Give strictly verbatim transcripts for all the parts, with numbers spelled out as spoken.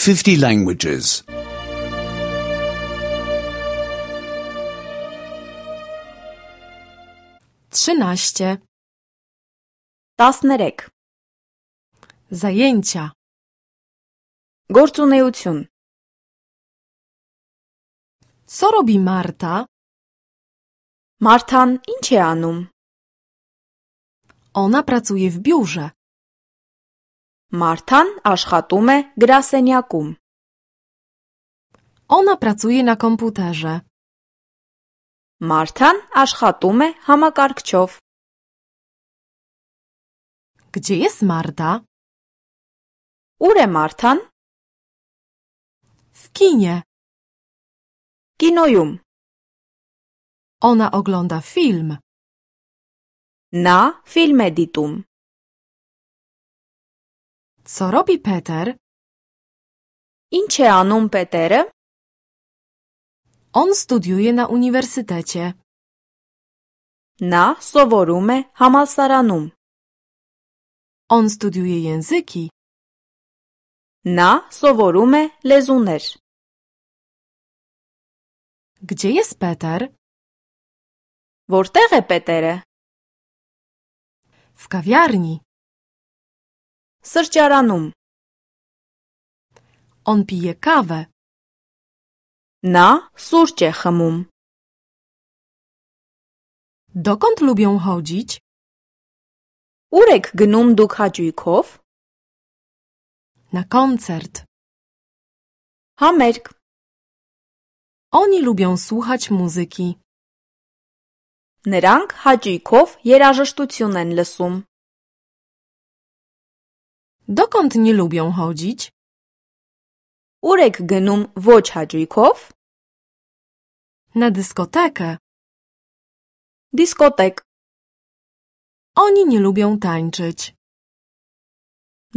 fifty languages. trzynaście. տասներեք Zajęcia. Գործունեություն Co robi Marta? Մարթան ինչ է անում? Ona pracuje w biurze. Մարթան աշխատում է գրասենյակում. Ona pracuje na komputerze. Մարթան աշխատում է համակարգչով. Gdzie jest Marta? Ուր է Մարթան? W kinie. Կինոյում. Ona ogląda film. Նա ֆիլմ է դիտում. Co robi Peter? Ինչ է անում Պետերը? On studiuje na uniwersytecie. Նա սովորում է համալսարանում. On studiuje języki. Նա սովորում է լեզուներ. Gdzie jest Peter? Որտեղ է Պետերը? W kawiarni. Սրճարանում. On pije kawę. Նա սուրճ է խմում. Dokąd lubią chodzić? Ուր եք գնում դուք հաճույքով? Na koncert. Համերգ. Oni lubią słuchać muzyki. Նրանք հաճույքով երաժշտություն են լսում. Dokąd nie lubią chodzić? Ուր եք գնում ոչ հաճույքով? Na dyskotekę. Դիսկոտեկ. Oni nie lubią tańczyć.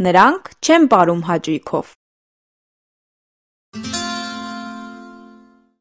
Նրանք չեն պարում հաճույքով.